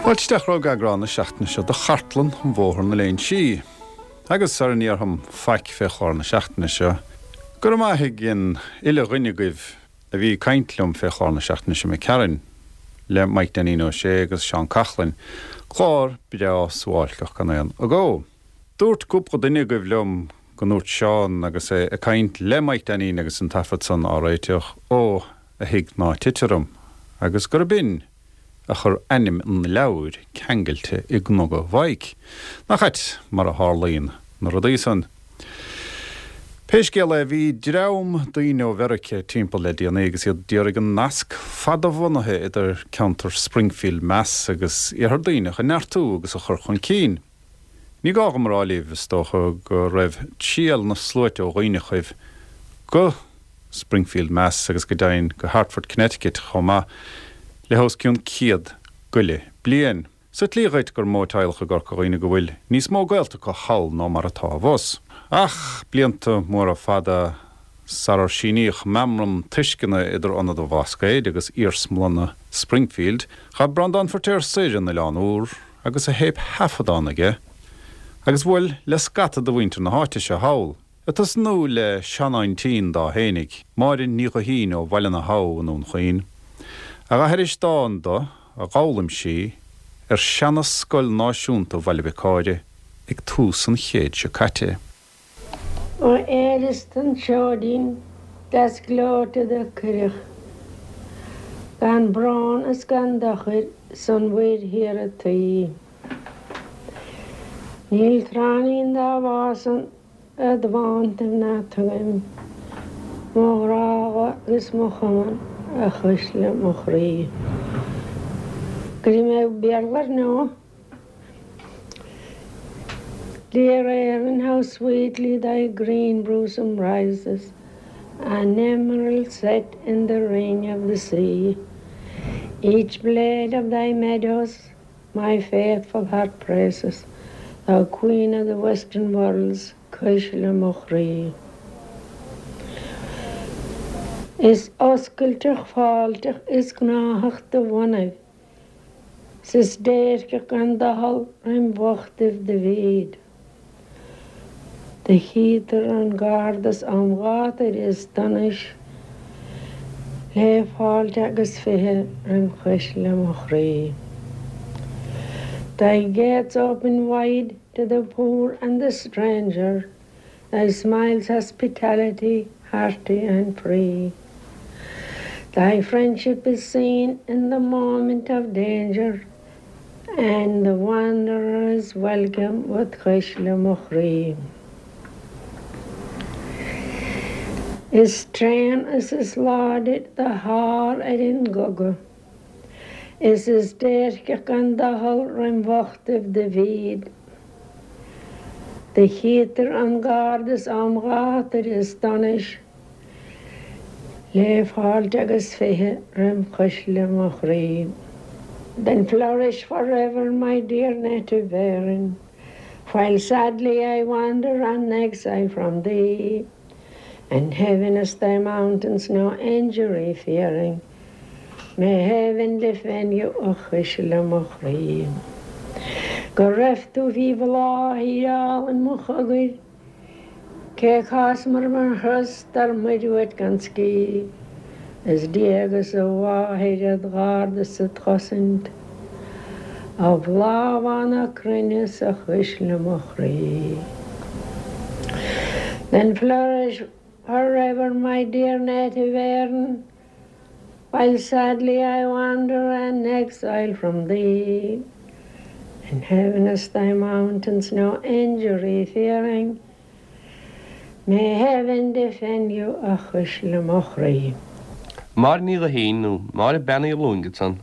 Fáilte isteach romhaibh go eagrán na seachtaine seo de Chartlann an Bhóthar na Léinsí. Agus sara ndéarfam faic fé chlár na seachtaine seo, go raibh maith ag an uile dhuine agaibh a bhí ag caint liom fé chlár na seachtaine seo imigh tharainn, le Mike Dainín Ó Sé agus Seán Coughlan, clár breá suáilceach gan aon agó. Dúirt cúpla duine agaibh liom go ndúirt Seán agus é ag caint le Mike Dainín agus an taifead san á réiteach, Ó, a thigh ná tit orm, agus gurb in a chur ainm an leabhair ceangailte i gcnoga Mhaidhc. Nach ait mar a tharlaíonn na rudaí san. Pé scéal é, bhí dream daoine ó Mheiriceá timpeall le déanaí agus iad d'iarraidh an nasc fadabhunaithe idir ceantar Springfield Mass agus Iarthar Duibhneach a neartú agus a chur chun cinn. Ní gá dhom a rá libh, is dócha, go raibh triall na sluaite ó Dhuibhneachaibh go Springfield, Mass. agus go deimhin go Hartford, Connecticut chomh maith, le hos cionn 100 goile bliain. Sa tslí dhuit gur mó teaghlach i gCorca Dhuibhne go bhfuil níos mó gaolta acu thall ná mar atá abhus. Ach blianta móra fada sarar síníodh meamram tuisceana idir Ionad an Bhlascaoid agus Iarsmalanna Springfield, ghabh Breandán Feirtéar soir an Oileán Úr agus a théipthaifeadán aige agus bhuail le scata de mhuintir na háite seo thall. Ag tosnú le seanaintín dá fhéinig, Máire Ní Ghuithín ó Bhaile na hAbha i nDún Chaoin, a dh'aithris dán do a dh'fhoghlaim sí ar seana-scoil náisiúnta Bhaile Bhiocáire ag tús an chéid seo caite. Ó éireas don tseoidín deas gleoite do cuireadh gan brón is gan dochar san mhuir thiar a tuí. Níl tráithnín dá bhfásann id bhántaibh ná tugaim mo ghrá agus mo chumann a chuisle mo chroí. Go dtí mé Béarla ar ndóigh. Dear Erin, how sweetly thy green bosom rises, An emerald set in the ring of the sea. Each blade of thy meadows My faithful heart praises, thou Queen of the Western World's cuisle mo chroí. Is oscailteach fáilteach is gnáthach do bhonnaibh, 's is déirceach gan doicheall roim bhochtaibh do bhíd. Do chítear an gcardas am ghátair is donais le fáilte agus 20 roim chuisle mo chroí. Thy gates open wide to the poor and the stranger, thy smile's hospitality hearty and free. Thy friendship is seen in the moment of danger, And the wanderer is welcome with cuisle mo chroí. Is tréan is is láidir do shár ar an gcogadh, Is is déirceach gan doicheall roim bhochtaibh do bhíd. Do chítear an gcardas am ghátair is donais, Le fáilte agus 20 roim chuisle mo chroí. Then flourish forever my dear native Erin, While sadly I wander an exile from thee, And heaviness thy mountains no injury fearing, May heaven defend you a chuisle mo chroí. Go raibh tú faoi bhláth a thír álainn mo chogair, Cé chásmar mar thuras dar muir uait gan scíth, Is Dia agus a mháthair id gharda is id chosaint, A bhláth bhán na cruinne 's a chuisle mo chroí. Then flourish forever my dear native Erin, While sadly I wander an exile from thee, And heaviness thy mountains no injury fearing, May heaven defend you a chuisle mo chroí. Máire Ní Ghuithín, nó Máire Bean Uí Lúing ansan,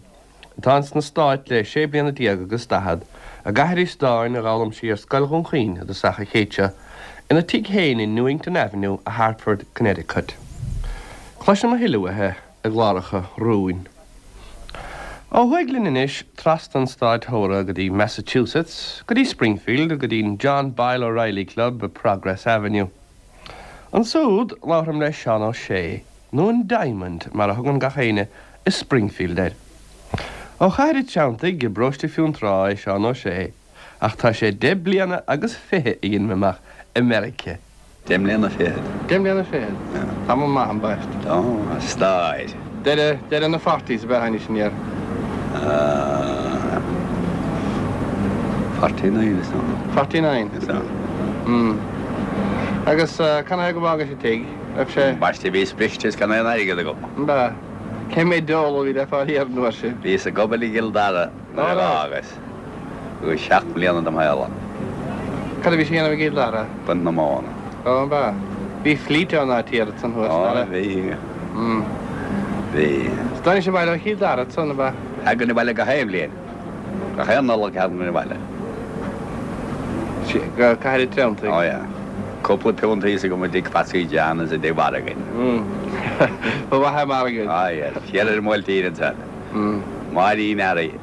atá ins na Stáit le sé bliana déag agus daichead, ag aithris dáin a dh'fhoghlaim sí ar Scoil Dhún Chaoin i dtosach an chéid seo, ina tigh féin in Newington Avenue i Hartford, Connecticut. Cloisfidh muid a thuilleadh uaithi i gcláracha romhainn. Ó thuaidh linn anois, trasna an stáit mhóra go dtí Massachusetts, go dtí Springfield, go dtí'n John Boyle O'Reilly Club i Progress Avenue. Ansúd, labhraim le Seán Ó Sé, nó an Diamond mar a thugann gach éinne i Springfield air. Ó Chathair an Treanntaigh i bparóiste Fionntrá é Seán Ó Sé, ach tá sé deich bliana agus fiche a dhein mé amach i Meirice. Deich mbliana fichead. Deich mbliana fichead. Tamall maith ambaiste. Tá, a stór. Deireadh, deireadh na forties ab ea tháinig sin air? Ah, 49 is dócha. 49? Is ea. Mm. Agus canathaobh go bhfágais an tigh? Raibh sé. Ambaiste bhíos briste is gan aon airgead agam. Ab ea? Cé mhéad dollar a bhí le fáil thiar an uair sin? Bhíos ag obair i gCill Dara nuair a d'fhágas. Agus 7 mbliana dem shaol ann. Cad a bhís a dhéanamh i gCill Dara? Baint na móna. Ó, ab ea? Bhí fleet ann áit thiar ansan thuas, nach raibh? Ó, bhí. Bhí. Is dtáinig abhaile ó Chill Dara ansan, ab ea? Thagainn abhaile gach aon bhliain. Gach aon Nollaig thagainn abhaile. Go Cathair an Treanntaigh. Ó yeah. Cúpla punt thíos agam i dtigh Phatsy John is i dtigh Mhargain. Ba mhaith é Margain. Á yes. Thiar ar an mBuailtín ansan. Máirín Fhearraigh.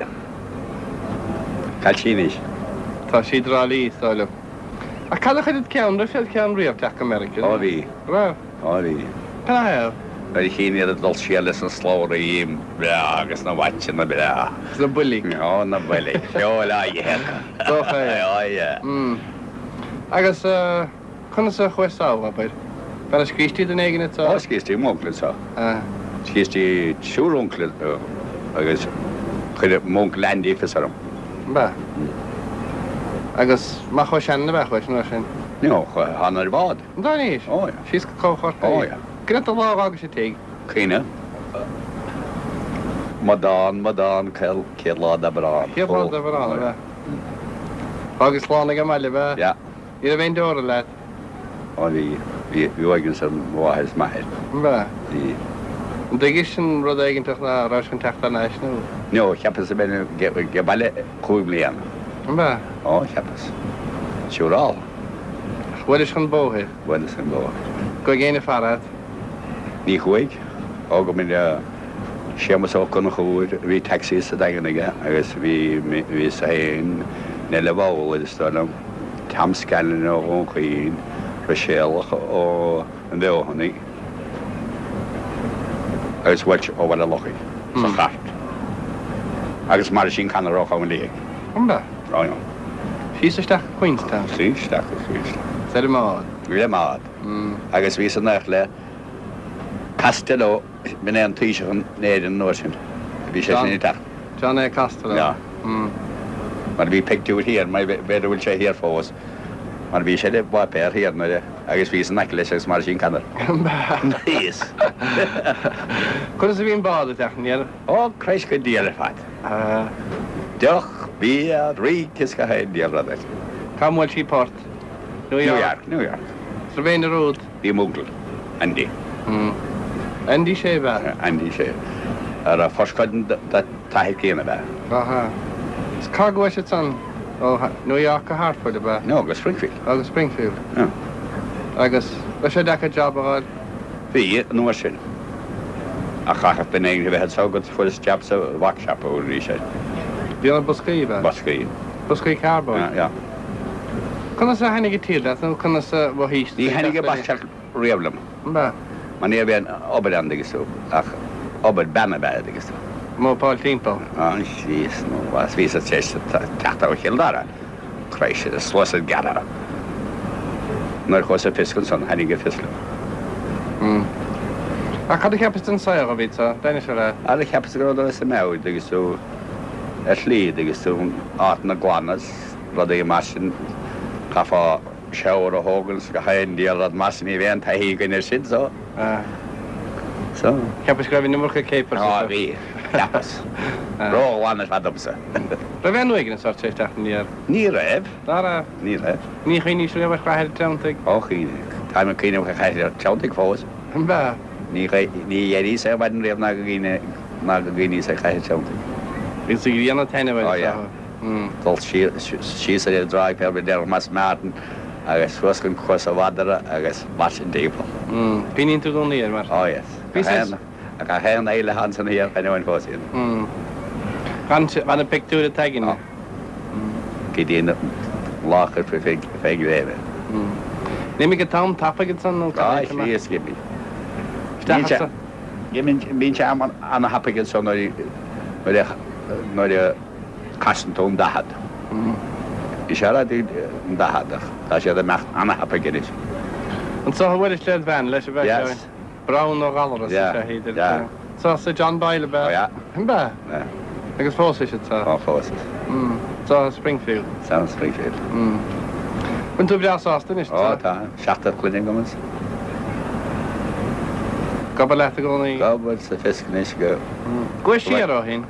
Cá bhfuil sí anois. Tá sí i dTrá Lí, is dóigh liom. Ach cad a chuir id cheann, raibh sé id cheann riamh teacht go Meiriceá? Ó bhí. Raibh? Ó bhí. Canathaobh? Nuair a chínn iad ag dul siar leis na slabhraí breá agus na watchanna breá. Is na boilg. Ó, na boilg. Feoil á ithe acu. Dócha é. Ó, yeah. Mm. Agus conas a chuais sall, abair? Ar scríos duine éigin anseo? Ó, scríos m'uncail anseo. Scríos triúr uncail agus chuir m'uncail Andy fios orm. Ab ea? Agus nach chomh sean ab ea chuais an uair sin? No, thána ar bhád. An dtáinís? Ó, yeah. Síos go Cóbh Chorcaí? Ó, yeah. Cad é an lá a dh'fhágais an tigh? Caoineadh. Amadán, amadán, céad lá d'Aibreán. Céad lá d'Aibreán, ab ea? Fhágais slán ag an mbaile, ab ea? Yeah. Ní raibh aon deora leat? Ó bhí. Bhí, bhí uaigneas ar mo mháthair is m'athair. Ab ea? Bhí. An dtuigis an rud éiginteach ná rabhais chun teacht thar n-ais nó? No, cheapas a bheith age baile chúig mbliana. Ab ea? Ó, cheapas. Siúrálta. Ach bhuailis chun bóthair? Bhuaileas chun bóthair. Chuaigh éinne ag faire ort? Ní chuaigh. Ó go mb'in Séamus Ó Conchúir, bhí taxi sa Daingean aige agus bhí, bhíos féin, Neile Bhowler is dóigh liom, Tom Scanlon ó Dhún Chaoin, Ruiséalach ó an Bhfeothanaigh agus Walsh ó Bhaile Lochaigh sa chairt. Agus Mairtín Connor ó Chabhán Liag. An ea? Ó yeah. Síos isteach go Queenstown. Síos isteach go Queenstown. Is ar an mbád. Ar an mbád. Agus bhíos in éineacht le Costello, b'in é an Taoiseach in Éirinn an uair sin. Bhí sé sin ag teacht. John A. Costello. Yeah. Mar bhí pictiúr thiar, mar b'fhéidir go bhfuil sé thiar fós, mar bhí sé i bpáipéar thiar nuair a, agus bhíos in aice leis agus Máirtín Connor. Thíos. Conas a bhí an bád ag teacht aniar? Ó, Christ go diail ar fad. Deoch, bia, rince is gach aon diabhal rud air. Cá mbuail sí port? New York. New York. Is raibh éinne romhat? Bhí m'uncail, Andy. Andy Shea ab ea? Andy Shea. A raibh first cousin dá t-athair céanna ab ea? Aha. Is cá gcuaigh siad san? Ó New York go Hartford ab ea? No, go Springfield. Ó, go Springfield. Yeah. Agus raibh sé deacair job a fháil? Bhí, an uair sin. Ach chaithfeadh duine éigin a bheith anseo agat fuaireas jab sa box shop arís air. Déanamh boscaí, ab ea? Boscaí. Boscaí cardboard? Yeah. Conas a thaitnigh an tír leat nó conas a mhothaís Ní thaitnigh an box shop riamh liom. Ab ea? Mar ní raibh aon obair ann dtuigeann tú, ach obair bean ab ea dtuigeann tú. Mopáil timpeall. Ah, síos nó bhíos tar éis teacht ó Chill Dara. Christ, suas an gearradh. Nuair a chuas ag fiosc ansan, thaitnigh an fios liom. Ach cad a cheapais den saol a bhí anso? D'inis sé leat. Ara cheapas go rabhadar as a meabhair, dtuigeann tú, ar shlí, dtuigeann tú, áiteanna glana 's rudaí mar sin, chaithfeá shower a thógaint 's gach aon diabhal rud mar sin, ní raibh aon taithí againn air sin, so. So. Cheapais go raibh an iomarca capers Á, bhí. Cheapas. Ró-ghlan ar fad domsa. Raibh aon uaigneas ort tar éis teacht aniar? Ní raibh. Ná raibh? Ní raibh. Ní chuimhnís riamh ar Chathair an Treanntaigh? Ó, chuimhnigh. Táim ag cuimhneamh ar Chathair an Treanntaigh fós. An ea? Ní d'éiríos ar maidin riamh ná go ná go gcuimhníos ar Chathair an Treanntaigh. Bhí sa ghrian ag taitneamh air. Ó, yeah. Dul síos ar an dtráigh fé deireadh Mas Martin agus suas go Cuas an Mhadra agus mar sin timpeall. Cuimhníonn tú i gcónaí air mar. Ó, yes. Bhí saghas. Gach aon fhéile ansan thiar, choinneoinn fós iad. Gan na pictiúir atá againne. Go dtí an lá a chuirfí fé ghréim é. An imigh an t-am tapaidh ansan nó cad é? Á, Chríost, d'imigh. Isteach anso. Bíonn sé ana-thapaidh anso nuair a. nuair a casann tú an 40. Bhí sé ar fhad an 40 ach tá siad ag imeacht ana-thapaidh anois. Anso a bhuailis led bhean leis ab ea Yes. Browne ó Ghallaras is Yeah, ea iad. yeah. Anso sa John Boyle ab ea? Oh yeah. Ab ea? Yeah. Agus phósais anso? Ó phósas. Mm. Anso i Springfield? Anso i Springfield. Mm. Bhfuil tú breá sásta anois Ó tá. Seachtar clainne agam is. Ag obair leat i gcónaí? Ag obair sa fisk anois go. Mm. Gabh siar ó shin.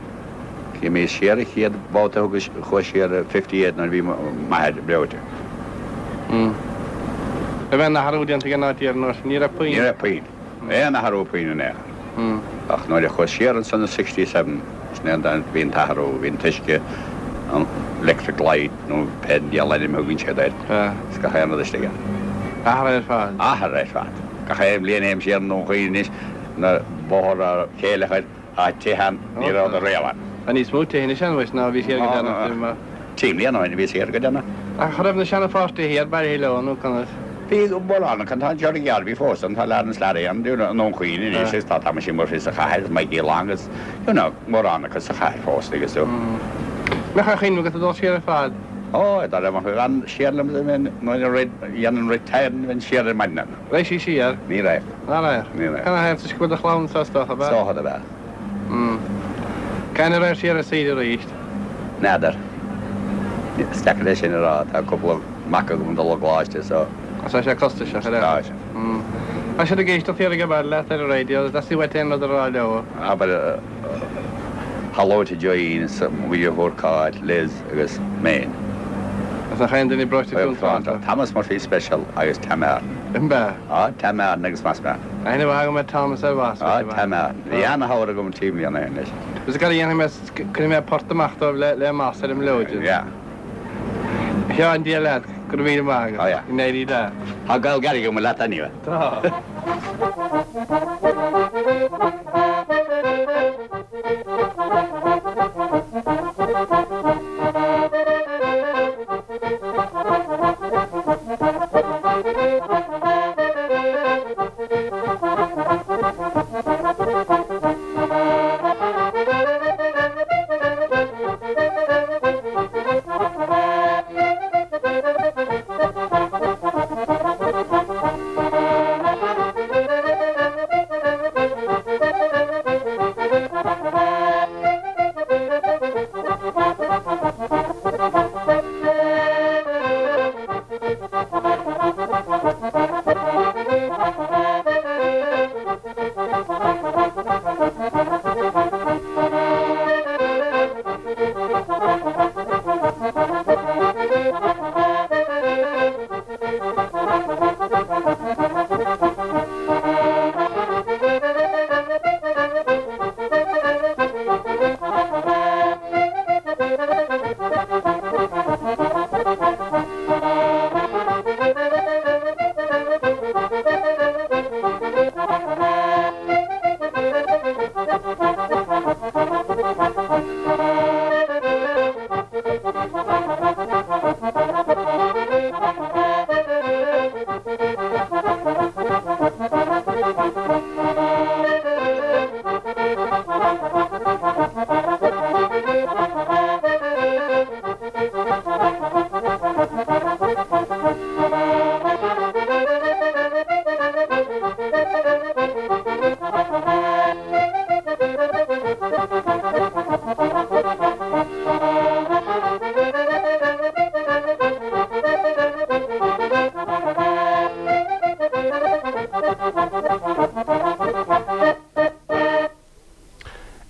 Bhí mé siar an chéad bhabhta a thugas chuas siar i 58 nuair a bhí m'athair breoite. Mm. Raibh aon athrú déanta ag an áit thiar an uair sin? Ní raibh puinn. Ní raibh puinn. Aon athrú puinn in aon chor. Ach nuair a chuas siar ansan i 67, sin é an bhí an t-athrú, bhí an t-uisce, an electric light nó pé diabhal ainm a thugann siad air, is gach aon rud istigh ann. Athraithe ar fad. Athraithe ar fad. Gach aon bhliain a théim siar i nDún Chaoin anois, na bóthar á chéile Tá tithe ann, ní rabhadar riamh ann. Tá níos mó tithe anois ann uait ná a bhí siar go deireanach. Trí mbliana ó shin a bhí siar go deireanach. Ach an raibh na seana-pháirtithe thiar bailithe leo nó conas? Bhí mórán acu, tá Gerry Garvey fós ann, tá Laurence Larry ann, you know, i nDún Chaoin anois agus tá Thomasie Murphy sa chathair, Mikey Long agus, you know, mórán acu sa chathair fós agus so. Mbeadh aon chuimhne agat ag dul siar ar fad? Ó, dá raibh mo bhean siar liom, bheinn, nuair a dhéanann retirement, bheinn siar ar maidin ann. Raghadh sí siar? Ní raghadh. Ná raghadh? Ní raghadh. Canathaobh? Toisc go bhfuil do chlann anso is dócha, ab ea? Is dócha ab ea. Mm. Cathain a raghadh siar ar saoire arís? N'fheadar. Is deacair é sin a rá. Tá cúpla mac agam ag dul i gcoláiste so. Tá sé costasach, ar ea? Tá sé. Mm. Tá siad ag éisteacht thiar ag baile leat ar an raidió, theastaigh uait aon rud a rá leo? Abair hello to Joyeen is mo dheirfiúr Cáit, Liz agus mé fhéin. Agus nach aon duine breoite contráilte. Thomas Murphy Special agus Tam Martin. Ab ea? Á, Tam Martin agus Mas Martin. Aithne mhaith agam ar Thomas ar Mhas. Á, Tam Martin. Bhí ana-chabhair agam trí mbliana ó shin leis. Agus cad a dhéanfaidh mé, cuirfidh mé port amach dóibh le Mas ar an mblióid. Yeah. A Sheáin, Dia leat, go raibh míle maith agat. Á, yeah. Go n-éirí leat. Tá gaol gairid agam leat anyway. Tá.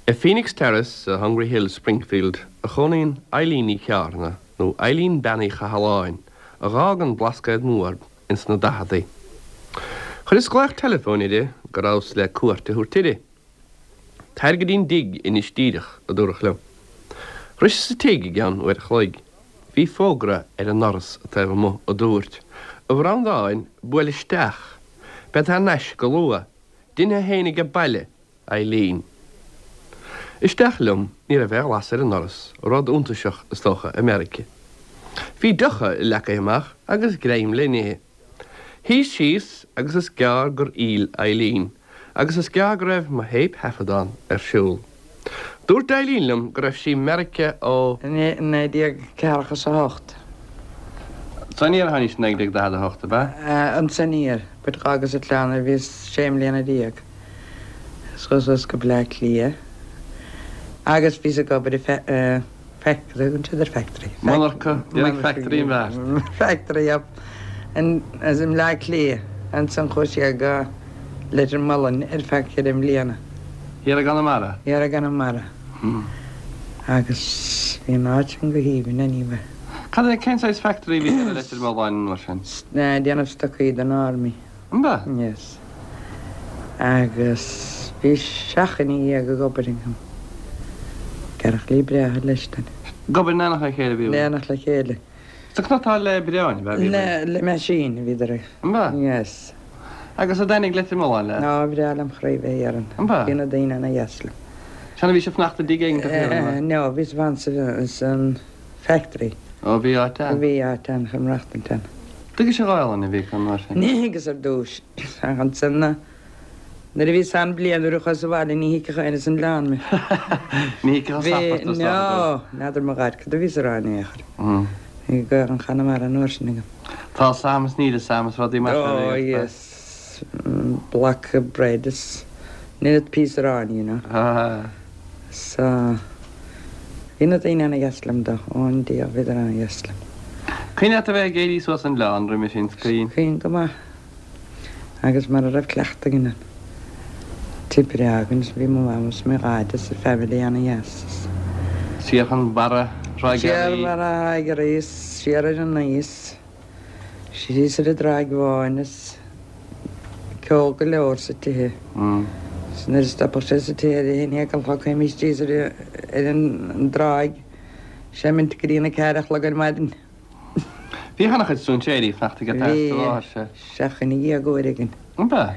I Phoenix Terrace i Hungry Hill, Springfield, a chónaíonn Eileen Ní Cheárna, nó Eileen Bean Uí Chathalláin, a dh'fhág an Blascaod Mór ins na daicheadaí. Chuireas glaoch teileafóin uirthi go rabhas le cuairt a thabhairt uirthi. Tar go dtí'n dtigh anois díreach, a dúradh liom. Shroiseas an tigh i gceann uair a chloig. Bhí fógra ar an ndoras taobh amuigh a dúirt, A Bhreandáin, buail isteach. Bead thar n-ais go luath. Dein thú fhéin age baile, Eileen. Isteach liom, ní raibh aon ghlas ar an ndoras, rud iontaiseach, is dócha, i Meirice. Bhí deocha leagtha amach agus greim le n-ithe. Shuíos síos agus is gearr gur fhill Eileen agus is gearr go raibh mo théipthaifeadán ar siúl. Dúirt Eileen liom go raibh sí i Meiriceá ó. 1948. Anso aniar a tháinís i 1948, ab ea? Anso aniar, but dh'fhágas an oileán nuair a bhíos sé mbliana is chuas suas go Bleá Cliath agus bhíos ag obair i factory, tugann siad ar factory. Monarcha, déarfaidh factory an bheart. Factory, yep. In, as i mBleá Cliath. Ansan chuas siar go Leitir Mealláin ar feadh cheithre mbliana. Thiar i gConamara? Thiar i gConamara. Agus bhí an áit sin go haoibhinn anyway. Cad é, cén saghas factory a bhí thiar i Leitir Mealláin an uair sin? Déanamh stocaí don army. An b'ea? Yes. Agus bhí seacht nduine ag obair agam. Cearachlaí breátha leis then. Ag obair in éineacht le chéile a bhí. In éineacht le chéile. Is ag cniotáil le oibreáin ab ea a bhí. Le le machine a bhíodar ag. An b'ea? Yes. Agus an dtaitnigh Leitir Mealláin leat? Á, bhreá lem chroí bheith thiar ann. An b'ea? Bhí na daoine ana dheas liom. Sea, bhís ag fanacht i dtigh éigin thiar an ea? No, bhíos ag fanacht san factory. Ó, bhí áit ann. Bhí áit ann chun maireachtaint ann. Dtuigis an Ghaelainn a bhí acu an uair sin? Ní thuigeas ar dtúis. Ach ansan nuair a bhíos ann bliain nuair a chuas abhaile ní thuigfeadh éinne san oileán mé. Ní thuigfeadh an Bhí, sapart is dócha no, n'fheadar mo dhaid cad a bhíos a rá in aon chor. Bhí Gaelainn Chonamara an uair sin agam. Tá 's a'm is níl 'fhios a'm is rudaí mar sin a Oh bhí agat. yes, block of bread is minute piece aráin, you know. So, bhí na daoine ana-dheas liom though, ón Dia, bhíodar ana-dheas liom. Cuimhin leat a bheith ag éirí suas an oileán roimhe sin, is cuimhin. Cuimhin go maith. Agus mara raibh cleachtadh againn ann. Tigh breá againn is bhí mo mham is mo dhaid is an family ana-dheas is. Siar chun barra Thráigh Siar barra Thráigh Fhearaí is siar ar an Naois. Síos ar an dTráigh Bháin is ceol go leor sa tithe. Is nuair a stopadh sé sa tithe ar a haon a chlog théimis síos ar an dtráigh seimint go dtí an 4 a chlog ar maidin. Bhí ana-chuid strainséirí ag fanacht agat sa láthair seo. Bhí 17 uair againn. An b'ea?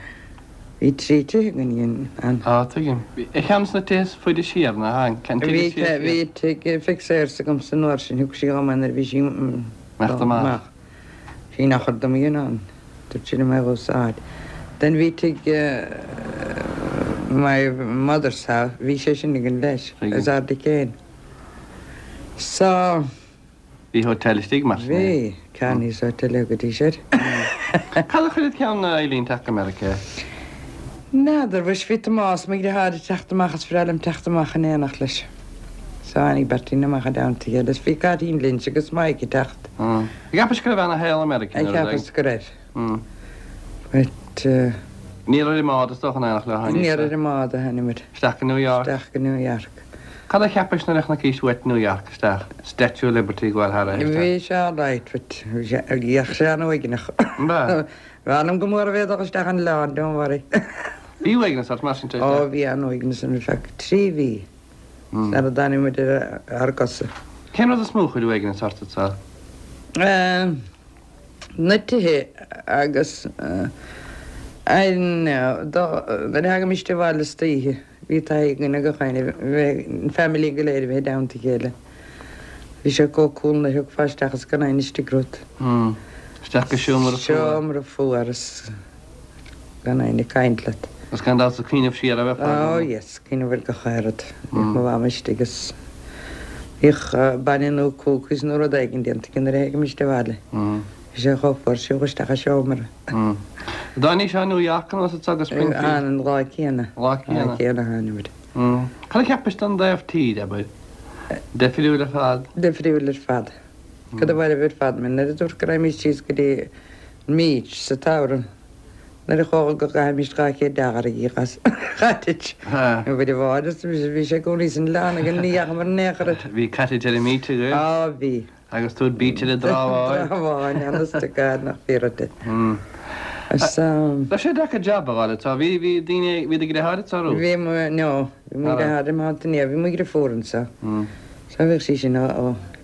Bhí trí tithe againn ann. Á, tuigim. Bhí ar cheann de na tithe is faide siar, ná an tigh is sia siar? Bhí tigh fixers agamsa an uair sin, thug sí dhom é nuair a bhí sí Imeacht amach. Bhí nach ar dom in ann. Dúirt sí liom é a dh'úsáid. Then bhí tigh my mother's house, bhí sé sin againn leis, as Ard Céin. So. Bhí hotel istigh mar sin. Bhí, Kearney's Hotel a thugaidís air. Cad a chuir id cheann a Eileen teacht go Meiriceá? N'fheadar, mhuis bhí Tomás, mo dheartháir ag teacht amach is bhreá liom teacht amach in éineacht leis. So tháinig beirt againn amach i dteannta a chéile is bhí Cáitín Lynch agus Mike ag teacht. An gceapais go raibh ana shaol i Meiriceá nuair a Cheapas go raibh. But. Níor ar an mbád is dócha in éineacht leo a tháinís. Níor ar an mbád a tháinimid. Isteach go New York. Isteach go New York. Cad a cheapais nuair a chonaicís uait New York isteach, Statue of Liberty ag gabháil thar é isteach? Bhí sé alright but bhí sé, bhíodh sé an-uaigneach. An b'ea? B'fhearr liom go mór a bheith ag dul isteach an oileán, don't worry. Bhí uaigneas ort mar sin tar éis Ó bhí an-uaigneas orm ar feadh 3 mhí sara dtáinig muid ar ár gcosa. Cén rud is mó a chuir uaigneas ort anseo? Na tithe agus I know, nuair a thagaimis abhaile istoíche bhí taithí againn ag gach éinne bheith, an family go léir a bheith i dteannta a chéile. Bhí sé chomh cool nuair a thiocfá isteach is gan éinne istigh romhat. Isteach go seomra fuar. Seomra fuar is gan éinne ag caint leat. Agus gan dabht ag cuimhneamh siar a bheifeá. Oh yes, cuimhneamh ar gach aon rud. Bhíodh mo mham istigh is bhíodh bainne nó cookies nó rud éigin déanta aici nuair a thagaimis abhaile. Bhí sé chomh fuar siúl isteach i seomra. Dtáinís ó New York anuas anso go Springfield? An lá céanna. Lá céanna. Lá céanna tháinimid. Cad a cheapais den dtaobh tíre, abair? Difriúil ar fad? Difriúil ar fad. Cad a mhairbh ar fad mé nuair a dúirt go raghaimís síos go dtí an beach sa tsamhradh nuair a chuaigh go gcaithfimís 200 dollar ag íoc as cottage. Bhí bhád is bhí sé i gcónaí san oileán againn ní dheachamar in aon chor air. Bhí cottage ar an mbeach agaibh? Á bhí. Agus tú ar beach ar an dTrá Bháin. Trá Bháin, honest to God nach fíor duit. Is. Raibh sé deacair jab a fháil anseo? Bhí, bhí daoine, bhí do dheartháir anseo romhat? Bhí mo, no, bhí mo dheartháir imithe inné, bhí mo dheirfiúr anseo. So bhíodh sí sin, ó,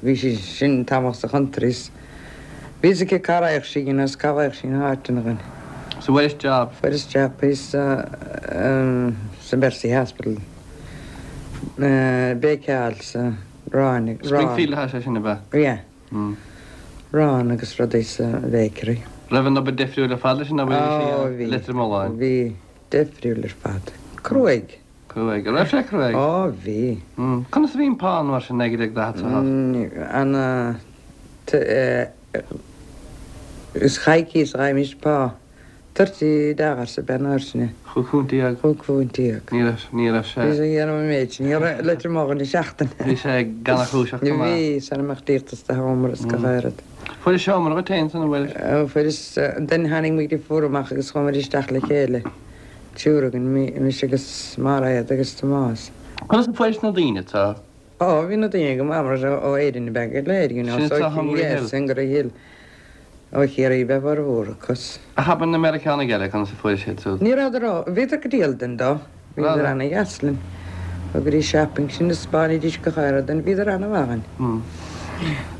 bhí sí sin tamall sa country is bhí fhios aici cá raghadh sí you know is cá bhfaigheadh sí na háiteanna dhúinn. So fuairis job? Fuaireas job thíos sa Mercy Hospital, béiceáil sa arán, arán. Springfield atá sé sin ab ea? Yeah. Arán agus rudaí sa bhakery. Raibh an obair difriúil ar fad leis an obair a bhí sí i Leitir Mealláin? Bhí, difriúil ar fad. Cruaidh. Cruaidh. An raibh sé cruaidh? Ó, bhí. Conas a bhí an pá an uair sin, 1948? Ana, is coicís a fhaighimis pá. $30 ab ea an uair sin é. £15. £15. Ní raibh, ní raibh sé. Bhí sé ag déanamh an méid sin, ní raibh leitir mo dhuine seachtain. Bhí sé gannachúiseach go maith. Bhí, sara mbeadh díoltas de sheomra is gach aon rud. Fuairis seomra dhuit féin san, an bhfuil? Fuaireas, then tháinig muid fuar amach agus chuaigh muid isteach le chéile, triúr againn, mise agus Mairéad agus Tomás. Conas a fuairis na daoine atá? Ó, bhí na daoine go maith mar ó Éirinn ab ea go léir, you know, Sin so atá Hungry Hill. yes, Hungry Hill. Ó Chiarraí ab ea formhór acu. Ach abair na Meiriceánaigh eile, conas a fuairis iad siúd? Ní rabhadar ró, bhíodar go diail dúinn though. Bhíodar ana-dheas linn. Thugaidís shopping sinn is spáinidís gach aon rud dúinn, bhíodar ana-mhaith dúinn.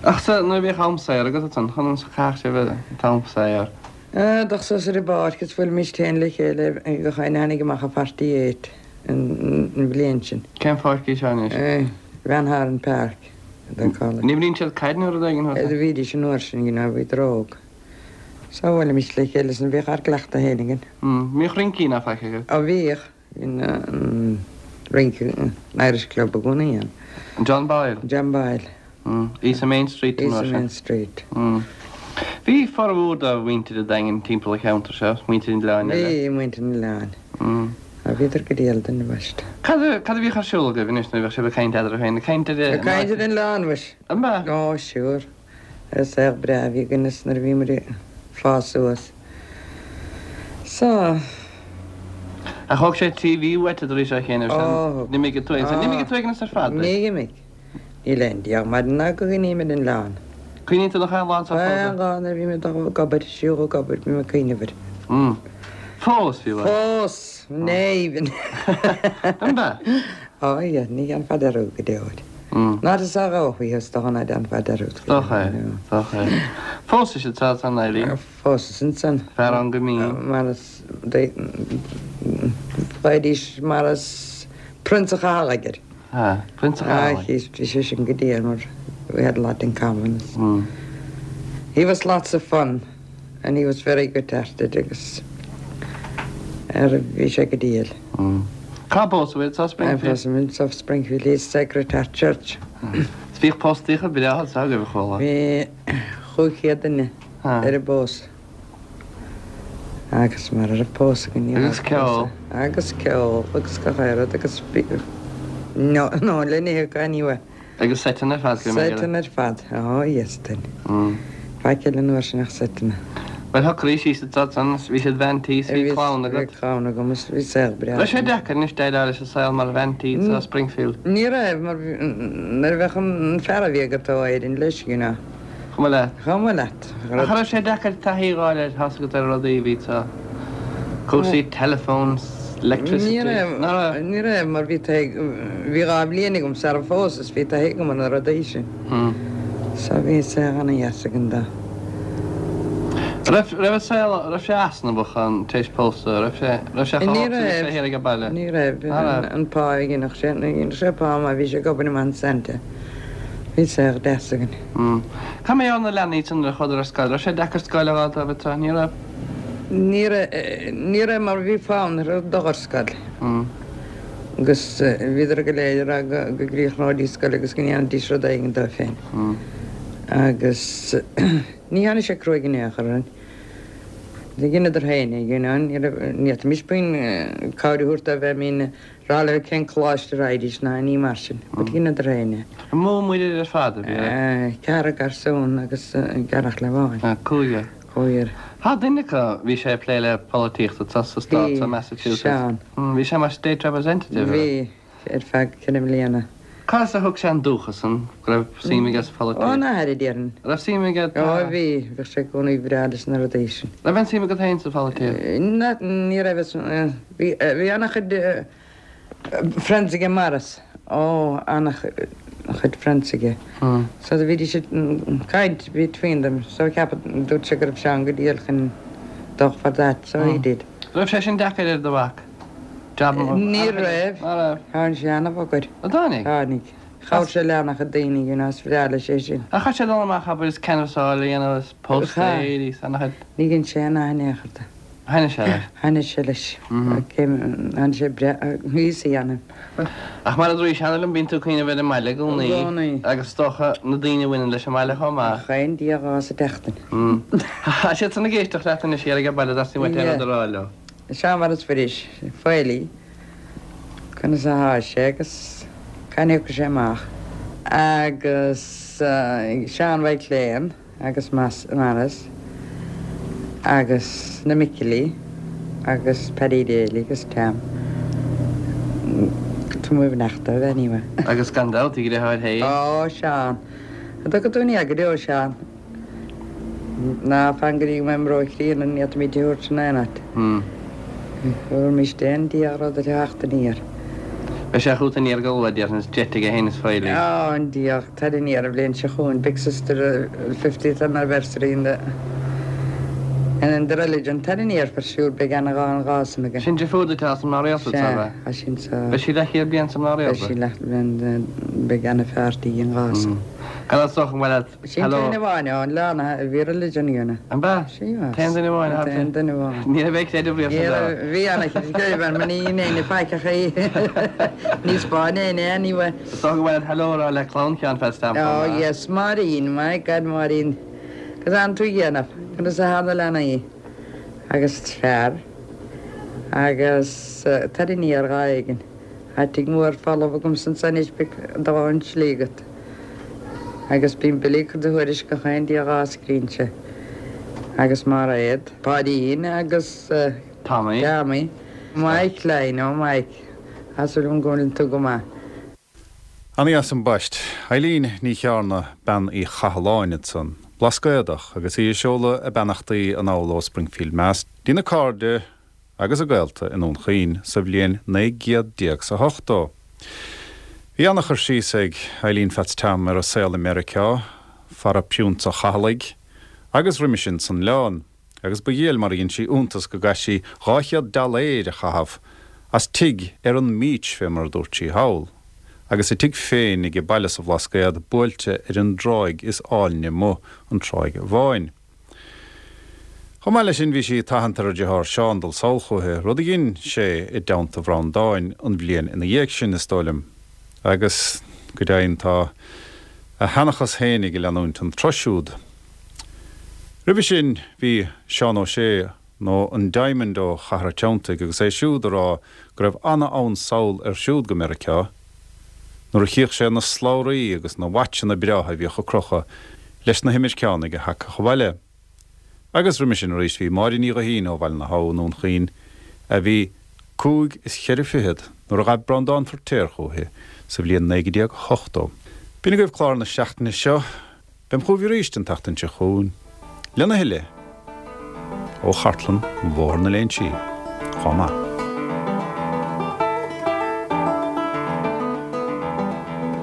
Ach sea, nuair a bhíodh am saor agat ansan, conas a chaitheadh sibh an t-am saor? Dul suas ar an bpáirc is bhuailimis féin le chéile gach éinne a tháinig amach i 48 an bhliain sin. Cén pháirc í seo anois? Van Haren Park. They call it. An imríonn siad caid nó rud éigin thuas ann? Bhídís an uair sin, you know, bhíodar óg. So bhuailimis le chéile is bhíodh ár gcleachtadh féin againn. Mbíodh rincí ná faic agaibh? Ó bhíodh. Bhí an rince, an Irish Club i gcónaí ann. John Boyle? John Boyle. Í sa Main Street an uair sin? Í sa Main Street. Bhí formhór de mhuintir an Daingin timpeall an cheantair seo, muintir an Oileáin eile. Bhí, muintir an Oileáin. Á bhíodar go diail dúinn ambaiste. Cad a bhíodh ar siúl agaibh anois nuair a bhíodh sibh ag caint eadraibh féin? Ag caint ar an. Ag caint ar an oileán, mhuis. An ea? Ó, sure. Ar an saol breá a bhí againn is nuair a bhí muid ag fás suas. So. Ach thóg sé 3 mhí uait tar éis a chéanna sin. Ó. D'imigh tú ag. D'imigh tú ag ar fad. Ní imigh. Níl aon diabhal maidin ná go gcuimhním ar an oileán. Cuimhníonn tú nach aon lá anseo fós? Aon lá nuair a bhím ag dul ag obair, siúl ag obair, bím ag cuimhneamh air. Fós, fiú? Fós! Even. An ea? Ó, yeah, ní dhéanfá dearúd go deo air. Not as a ghabhfaí is dócha ná déanfá dearúd go deo. Is dócha é, is dócha é. Phósais ansan Eileen? Phósas ansan. Fear ann go mín. Mar is, bheidís mar is Prionsa Chathail air. Ha, Prionsa Chathail. Bhí sé sin go diail mar we had a lot in common. He was lots of fun and he was very good hearted agus ar bhí sé go diail. Cá bpósadh é? Sa Springfield? Phósadh sa Springfield East Sacred Heart Church. Is bhíodh póstaíocha breátha anseo agaibh a chuala. Bhí 500 duine ar an bpósadh. Agus mara raibh pósadh againn ní raibh Agus ceol. Agus ceol agus gach aon rud agus no no le n-ithe acu anyway. Agus seiteanna ar fad go mbeidh. Seiteanna ar fad, oh yes then. Faic eile an uair sin ach seiteanna. Bhuel shocraís síos ansan, bhí siad bhean tí is bhí clann agat. Bhí clann agam is bhí saol breá. Raibh sé deacair anois déileáil leis an saol mar bhean tí sa Springfield? Ní raibh mar nuair a bheadh an fear a bhí agat ó Éirinn leis you know. Chomh maith leat. Chomh maith leat. Ach an raibh sé deacair taithí a fháil ar, tá's agat ar rudaí a bhí sa, cúrsaí teileafóin, electricity. Ní raibh, Ná raibh? ní raibh mar bhí taithí, bhí 2 bhliain agam sara phósas, bhí taithí agam ar na rudaí sin. So bhí saol ana-dheas againn dó. Raibh, raibh an saol, raibh sé easnamhach ann tar éis pósadh, raibh sé, raibh sé chomh Ní holc sin is raibh, é thiar ag baile? ní raibh, Ná raibh? an pá a dhéanfadh sé, dhéanfadh sé pá maith, bhí sé ag obair i Monsanto. Bhí saol deas againn. Cad mar gheall ar na leanaí san nuair a chuadar ar scoil? Raibh sé deacair scoil a fháil dóibh anseo? Ní raibh? Ní raibh, ní raibh mar bhí fonn orthu dul ar scoil. Agus bhíodar go léir ag rá go gcríochnóidís scoil agus go ndéanfaidís rud éigin dóibh féin. Agus ní tháinig sé cruaidh in aon chor orainn. Dheineadar féin é, you know, ní raibh, ní fhéadfaimis puinn cabhair a thabhairt dóibh, I mean, rá leo cén coláiste a raghaidís ná aon ní mar sin. But dheineadar féin é. An mó muirear ar fad a bhí air? Ceathrar garsún agus gearrthóir amháin. Cúigear. Cúigear. Tá duine acu, bhí sé ag plé le polaitíocht anseo sa stát seo, Massachusetts. Bhí, Seán. Bhí sé mar state representative, raibh? Bhí, ar feadh ceithre mbliana. Cá as a thug sé an dúchas san, go raibh suim aige sa pholaitíocht? Óna athair, a déarfainn. Raibh suim aige? Ó bhí, bhíodh sé i gcónaí breá leis na rudaí sin. Raibh aon suim agat féin sa pholaitíocht? Ní raibh, bhí, bhí an-chuid friends aige Maurice, ó an-chuid friends aige. So do bhídís ag caint between them, so ceapadh, dúirt sé go raibh Seán go diail chun dul for that, so he did. Raibh sé sin deacair ar do mhac? Ní raibh. Tháinig sé ana-bhog air. An dtáinig? Tháinig. Chabhraigh sé le ana-chuid daoine, you know, is bhreá leis é sin. Ach chaith sé dul amach, abair, is canbhasáil a dhéanamh is póstaeirí is ana-chuid. Ní dhein sé aon nath in aon chor de. Thaitnigh sé leis. Thaitnigh sé leis. Thaitnigh sé breá, thíos a dhéanamh. Ach mar a dúraís cheana liom, bíonn tú ag cuimhneamh ar an mbaile i gcónaí. I gcónaí. Agus is dócha na daoine a bhaineann leis an mbaile chomh maith. Chaon Dia dhá sa tseachtain. Tá siad san ag éisteacht leat anois thiar ag baile theastaigh uait aon rud a rá leo. Seán Mhaurice Mhuiris, Fayley, conas athá sé agus cathain a thiocfaidh sé amach. Agus Seán Mhaidhc Léan. agus Maurice agus na Micilí agus Paddy Daly agus Tam. Tá mo bheannacht dóibh anyway. Agus gan dabht a dheartháir féin. Ó, Seán. An dtiocfaidh tú aniar go deo, Seán? Ná fan go dtí go mbeidh mé ró-chríonna ní fhéadfaimid a thabhairt in aon áit. Thabharfaimis aon Dia rud ar theacht aniar. Beidh sé chugat aniar go luath, déarfainn, is jet aige féin is Fayley. Ó, an Dia. Tar aniar an bhliain seo chugainn, Big Sister 50th anniversary in the in the religion. Tar aniar for sure, beidh ana dhá san againn. Sin deirfiúr duit atá sa mná rialta, Sea, ab ea? Tá sin sa. Beidh sí leathchéad bliain sa mná rialta. Beidh sí leathbhliain, beidh ana pharty againn dhá san. Gan dabht is dócha go bhfuil Sin an t-aon amháin ann, leanna a bhí religion againn. An b'ea? Sea. T-aon duine amháin atá. T-aon duine amháin. Ní raibh aon chreideamh riamh sa dá. Bhí ana-chreideamh ann, mar ní dhein éinne faic ach é. Níos báine éinne anyway. Is dócha go bhfuil hello a rá le clann Sheáin Pheaits Tom chomh maith. Oh yes, Máirín, my God Máirín. Cad tánn tú a dhéanamh? Conas atá na leanaí? Agus fear. Agus tar aniar lá éigin. Tá tigh mór folamh agamsa anso anois beidh dóthain slí agat. Agus bíonn Billy ag cur do thuairisc gach aon Dia dhá scrínse. Agus Mairéad, Páidín agus Tommy. Tommy. Mike Line, oh Mike, tá súil agam go bhfuileann tú go maith. Ana-dheas ambaist. Eileen Ní Chearna, Bean Uí Chathalláin ansan, Blascaodach, agus í ag seoladh a beannachtaí anall ó Springfield Mass dtína cairde agus a gaolta i nDún Chaoin sa bhliain 19 gcéad 's a hochtó. Bhí ana-chur síos ag Eileen Pheaits Tom ar a saol i Meiriceá, fara Priúnsa Chathalaigh, agus roimis sin san Oileán, agus ba dhiail mar a dhein sí iontas go gcaithfeadh sí 200 dollaeir a chaitheamh as tigh ar an mbeach fé mar a dúirt sí thall, agus a tigh féin age baile sa Bhlascaod buailte ar an dtráigh is áilne amuigh, an Tráigh Bháin. Chomh maith leis sin bhí sí ag tathant ar a deartháir Seán dul sall chúithi, rud a dhein sé i dteannta Bhreandáin an bhliain ina dhiaidh sin, is dóigh liom, agus go deimhin tá a sheanchas fhéinig ag leanúint an tsruth siúd. Roimhe sin bhí Seán Ó Sé, nó an Diamond ó Chathair a' Treanntaigh agus é siúd a rá go raibh ana-fhonn sall air siúd go Meiriceá, nuair a chíodh sé na slabhraí agus na watchanna breátha a bhíodh a crochadh leis na himirceánaigh a thagadh abhaile. Agus roimis sin arís bhí Máire Ní Ghuithín ó Bhaile na hAbha i nDún Chaoin a bhí cúig is cheithre fichead nuair a ghaibh Breandán Feirtéar chúithi sa bhliain 1980. B'in agaibh clár na seachtaine seo. Beam chugaibh arís an tseachtain seo chugainn lena thuilleadh ó chartlann Bhóthar na Léinsí. Chomh maith.